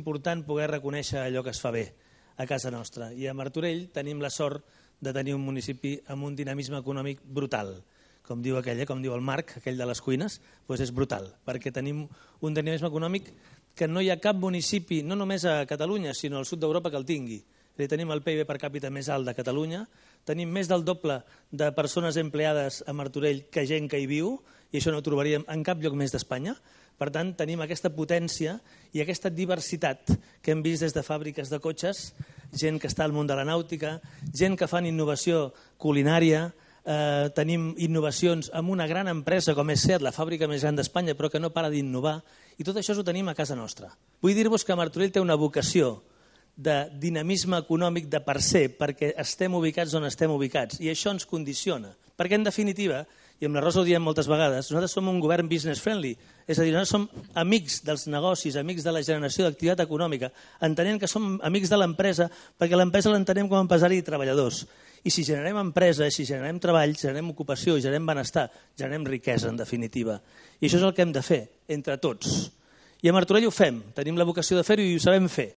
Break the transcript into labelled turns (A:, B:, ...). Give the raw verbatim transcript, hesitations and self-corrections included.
A: important poder reconèixer allò que es fa bé a casa nostra. I a Martorell tenim la sort de tenir un municipi amb un dinamisme econòmic brutal. Com diu aquell, com diu el Marc, aquell de les cuines, doncs és brutal, perquè tenim un dinamisme econòmic que no hi ha cap municipi, no només a Catalunya, sinó al sud d'Europa que el tingui. Tenim el P I B per càpita més alt de Catalunya, tenim més del doble de persones empleades a Martorell que gent que hi viu, i això no ho trobaríem en cap lloc més d'Espanya. Per tant, tenim aquesta potència i aquesta diversitat que hem vist des de fàbriques de cotxes, gent que està al món de la nàutica, gent que fan innovació culinària, eh, tenim innovacions amb una gran empresa com és SEAT, la fàbrica més gran d'Espanya, però que no para d'innovar, i tot això ho tenim a casa nostra. Vull dir-vos que Martorell té una vocació de dinamisme econòmic de per ser, perquè estem ubicats on estem ubicats, i això ens condiciona. Perquè, en definitiva, i amb la Rosa ho diem moltes vegades, nosaltres som un govern business friendly, és a dir, nosaltres som amics dels negocis, amics de la generació d'activitat econòmica, entenent que som amics de l'empresa, perquè l'empresa l'entenem com a empresari i treballadors. I si generem empresa, si generem treball, generem ocupació, generem benestar, generem riquesa, en definitiva. I això és el que hem de fer, entre tots. I a Martorell ho fem, tenim la vocació de fer-ho i ho sabem fer.